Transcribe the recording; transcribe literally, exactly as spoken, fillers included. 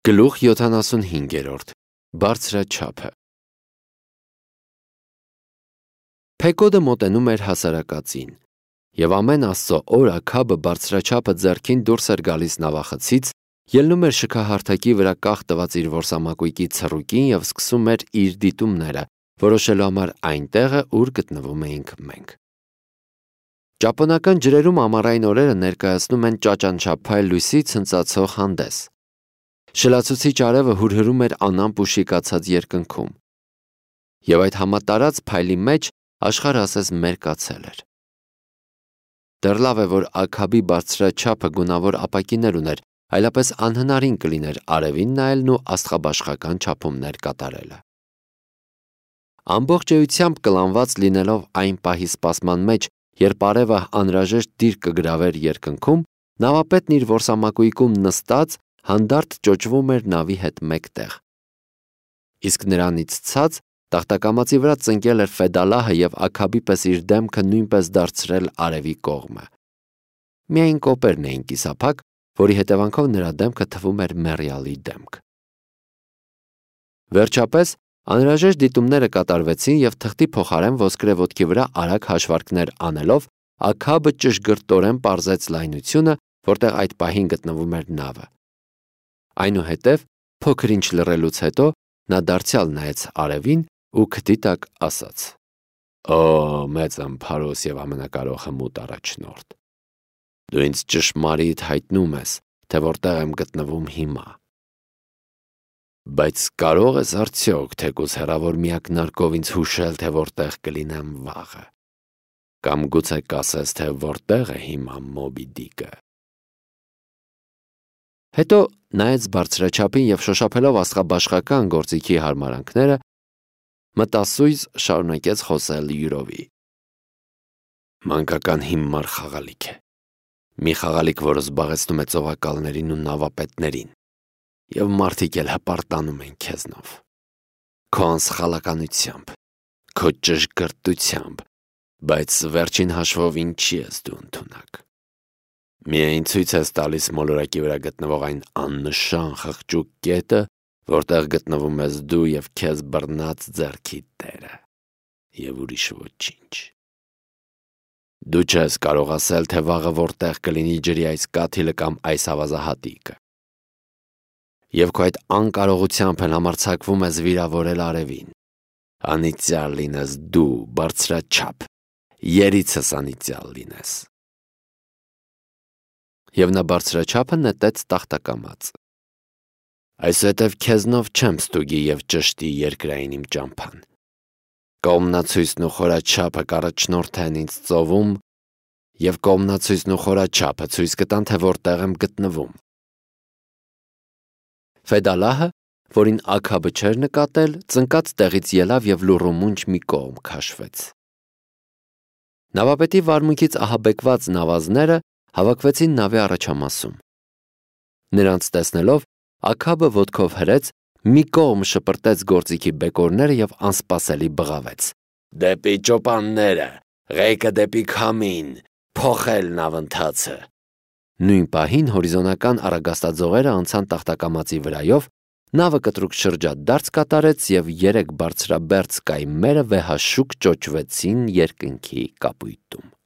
Գլուխ յոթանասունհինգերորդ Բարձրաչափը Փեկոդը մոտենում էր հասարակածին, և ամեն Աստծո օր Աքաբը բարձրաչափը ձեռքին դուրս էր գալիս նավախցից, ելնում էր շքահարթակի վրա կախ տված իր որսամակույկի ցռուկին և սկսում էր իր դիտումները, որոշելու համար այն տեղը, ուր գտնվում էինք մենք։ Ճապոնական ջրերում ամառային օրերը ներկայացնում են ճաճանչափայլ լույսի ցնծացող հանդես։ Շլացուցիչ արևը հուրհրում էր անամպ ու շիկացած երկնքում, և այդ համատարած փայլի մեջ աշխարհը ասես մերկացել էր։ Դեռ լավ է, որ Աքաբի բարձրաչափը գունավոր ապակիներ ուներ, այլապես անհնարին կլիներ արևին նայելն ու աստղաբաշխական չափումներ կատարելը։ Ամբողջ էությամբ կլանված լինելով այն պահի սպասման մեջ, երբ արևը անհրաժեշտ դիրք կգրավեր երկնքում, նավապետն իր որսամակույկում նստած հանդարտ ճոճվում էր նավի հետ մեկտեղ։ Իսկ նրանից ցած տախտակամածի վրա ծնկել էր Ֆեդալահը և Աքաբի պես իր դեմքը նույնպես դարձրել արևի կողմը։ Միայն կոպերն էին կիսափակ, որի հետևանքով նրա դեմքը թվում էր մեռյալի դեմք։ Վերջապես անհրաժեշտ դիտումները կատարվեցին և թղթի փոխարեն ոսկրե ոտքի վրա արագ հաշվարկներ անելով Աքաբը ճշգրտորեն պարզեց լայնությունը, որտեղ այդ պահին գտնվում էր նավը։ Այնուհետև, փոքր-ինչ լռելուց հետո, նա դարձյալ նայեց արևին ու քթի տակ ասաց. «Օ, մեծ ամփարոս և ամենակարող հմուտ առաջնորդ, դու ինձ ճշմարիտ հայտնում ես, թե որտեղ եմ գտնվում հիմա։ Բայց կարո՞ղ ես արդյոք թեկուզ հեռավոր մի ակնարկով ինձ հուշել, թե որտեղ կլինեմ վաղը, կամ գուցե կասես, թե որտեղ է հիմա Մոբի Դիկը»։ Հետո նայեց բարձրաչափին և շոշափելով աստղաբաշխական գործիքի հարմարանքները, մտասույզ շարունակեց խոսել յուրովի. «Մանկական հիմար խաղալիք է, մի խաղալիք, որը զբաղեցնում է ծովակալներին ու նավապետներին, և մարդիկ էլ հպարտանում են քեզնով, քո անսխալականությամբ, քո ճշգրտությամբ, բայց վերջին հաշվով ինչի ես դու ընդունակ։ Միայն ցույց ես տալիս մոլորակի վրա գտնվող այն աննշան խղճուկ կետը, որտեղ գտնվում ես դու և քեզ բռնած ձեռքի տերը, և ուրիշ ոչինչ։ Դու չես կարող ասել, թե վաղը որտեղ կլինի ջրի այս կաթիլը կամ այս ավազահատիկը։ Եվ քո այդ անկարողությամբ էլ համարձակվում ես վիրավորել արևին։ Անիծյալ լինես դու, բարձրաչափ, երիցս անիծյալ լինես»։ Եվ նա բարձրաչափը նետեց տախտակամաց։ «Այսուհետև քեզնով չեմ ստուգի և ճշտի երկրային իմ ճամփան։ Կողմնացույցն ու խորաչափը կառաջնորդեն ինձ ծովում, և կողմնացույցն ու խորաչափը ցույց կտան, թե որտեղ եմ գտնվում»։ Ֆեդալահը, որին Աքաբը չէր նկատել, ծնկած տեղից ելավ և լուռումունջ մի կողմ քաշվեց։ Նավապետի վարմունքից ահաբեկված նավազները հավաքվեցին նավի առաջամասում։ Նրանց տեսնելով, Աքաբը ոտքով հրեց, մի կողմ շպրտեց գործիքի բեկորները և անսպասելի բղավեց. «Դեպի ճոպանները, ղեկը դեպի քամին, փոխել նավընթացը»։ Նույն պահին հորիզոնական առագաստաձողերը անցան տախտակամածի վրայով, նավը կտրուկ շրջադարձ կատարեց և երեք բարձրաբերձ կայմերը վեհաշուկ ճոճվեցին երկնքի կապույտում։